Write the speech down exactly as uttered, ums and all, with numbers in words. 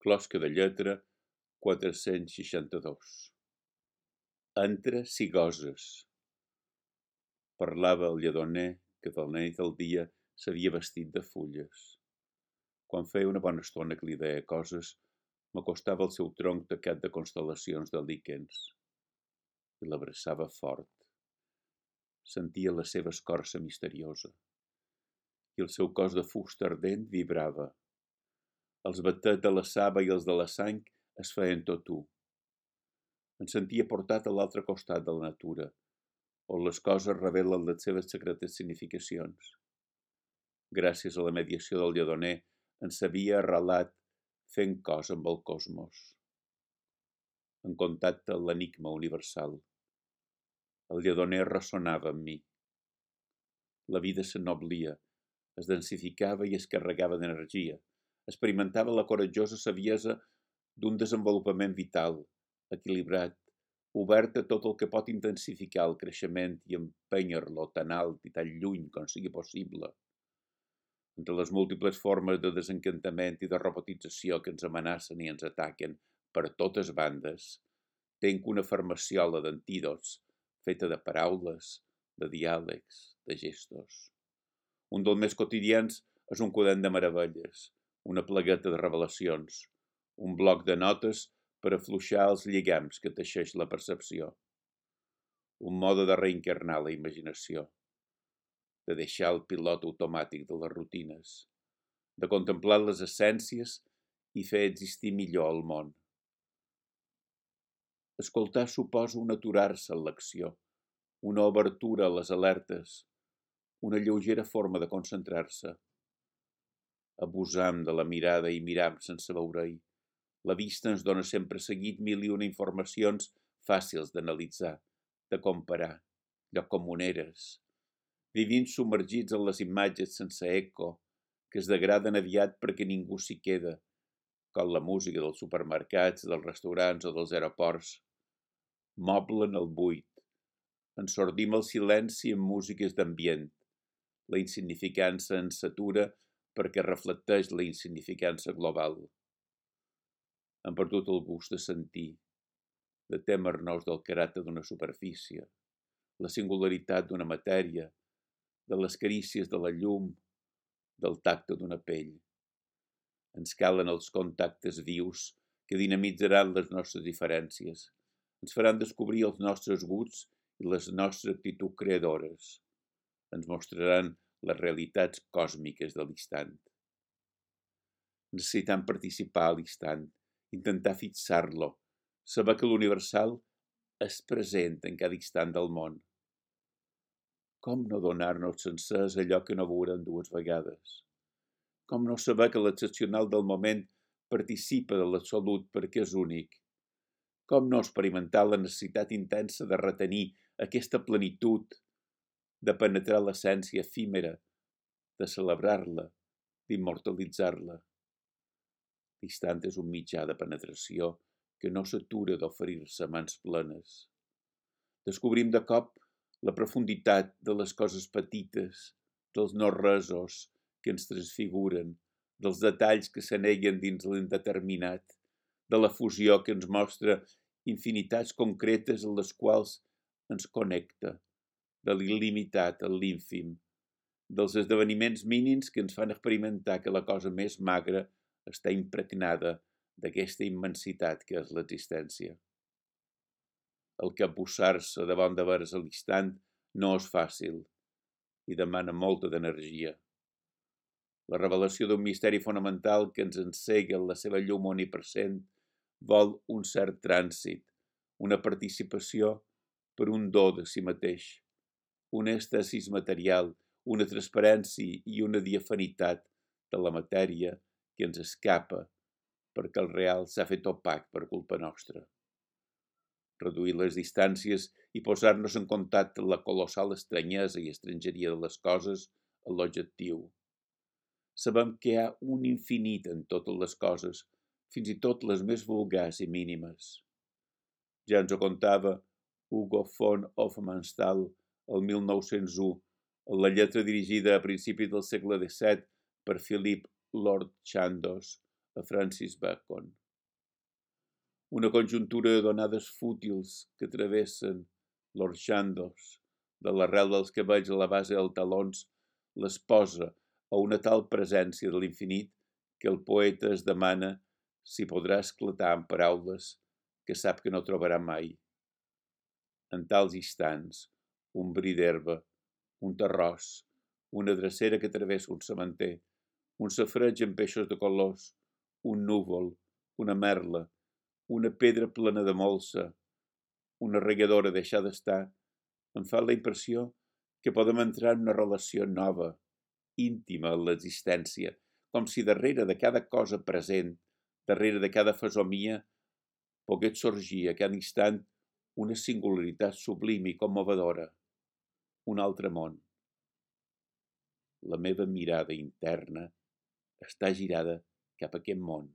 Closca de lletra quatre-cents seixanta-dos. Entra si goses. Parlava el lledoner que de la nit al dia s'havia vestit de fulles. Quan feia una bona estona que li deia coses, m'acostava al seu tronc tacat de constel·lacions de líquens i l'abraçava fort. Sentia la seva escorça misteriosa i el seu cos de fusta ardent vibrava. Els batets de la saba i els de la sang es feien tot u. Em sentia portat a l'altre costat de la natura, on les coses revelen les seves secretes significacions. Gràcies a la mediació del lledoner, en s'havia arrelat fent cos amb el cosmos. En contacte amb l'enigma universal. El lledoner ressonava amb mi. La vida s'ennoblia, es densificava i es carregava d'energia. Experimentava la coratjosa saviesa d'un desenvolupament vital, equilibrat, obert a tot el que pot intensificar el creixement i empènyer-lo tan alt i tan lluny com sigui possible. Entre les múltiples formes de desencantament i de robotització que ens amenacen i ens ataquen per totes bandes, tenc una farmaciola d'antídots feta de paraules, de diàlegs, de gestos. Un dels més quotidians és un quadern de meravelles, una plagueta de revelacions, un bloc de notes per afluixar els lligams que teixeix la percepció. Un mode de reencarnar la imaginació, de deixar el pilot automàtic de les rutines, de contemplar les essències i fer existir millor el món. Escoltar suposa un aturar-se en l'acció, una obertura a les alertes, una lleugera forma de concentrar-se. Abusam de la mirada i miram sense veure-hi. La vista ens dona sempre seguit mil i una informacions fàcils d'analitzar, de comparar, lloc comuneres, vivint submergits en les imatges sense eco, que es degraden aviat perquè ningú s'hi queda, com la música dels supermercats, dels restaurants o dels aeroports. Moblen el buit. Ensordim el silenci amb músiques d'ambient. La insignificança ens satura perquè reflecteix la insignificança global. Hem perdut el gust de sentir, de témer-nos del caràcter d'una superfície, la singularitat d'una matèria, de les carícies de la llum, del tacte d'una pell. Ens calen els contactes vius que dinamitzaran les nostres diferències, ens faran descobrir els nostres gusts i les nostres actituds creadores, ens mostraran les realitats còsmiques de l'instant. Necessitem participar a l'instant, intentar fixar-lo, saber que l'universal és present en cada instant del món. Com no donar-nos sencers allò que no veurem dues vegades? Com no saber que l'excepcional del moment participa de l'absolut perquè és únic? Com no experimentar la necessitat intensa de retenir aquesta plenitud, de penetrar l'essència efímera, de celebrar-la, d'immortalitzar-la? L'instant és un mitjà de penetració que no s'atura d'oferir-se a mans plenes. Descobrim de cop la profunditat de les coses petites, dels no-resos que ens transfiguren, dels detalls que s'aneguen dins l'indeterminat, de la fusió que ens mostra infinitats concretes en les quals ens connecta, de l'il·limitat a l'ínfim, dels esdeveniments mínims que ens fan experimentar que la cosa més magra està impregnada d'aquesta immensitat que és l'existència. El capbussar-se davant de veres a l'instant no és fàcil i demana molta d'energia. La revelació d'un misteri fonamental que ens encega en la seva llum omnipresent vol un cert trànsit, una participació per un do de si mateix, un estasis material, una transparència i una diafanitat de la matèria que ens escapa perquè el real s'ha fet opac per culpa nostra. Reduir les distàncies i posar-nos en contacte amb la colossal estranyesa i estrangeria de les coses és l'objectiu. Sabem que hi ha un infinit en totes les coses, fins i tot les més vulgars i mínimes. Ja ens ho contava Hugo von Hofmannsthal el mil nou-cents u, en la lletra dirigida a principis del segle disset per Philip Lord Chandos, a Francis Bacon. Una conjuntura d'onades fútils que travessen l'orxandos de l'arrel dels cabells a la base dels talons les posa a una tal presència de l'infinit que el poeta es demana si podrà esclatar en paraules que sap que no trobarà mai. En tals instants, un bri d'herba, un terròs, una drecera que travessa un sementer, un safreig amb peixos de colors, un núvol, una merla, una pedra plena de molsa, una regadora deixar d'estar, em fa la impressió que podem entrar en una relació nova, íntima en l'existència, com si darrere de cada cosa present, darrere de cada fesomia, pogués sorgir a cada instant una singularitat sublim i commovedora, un altre món. La meva mirada interna està girada cap a aquest món.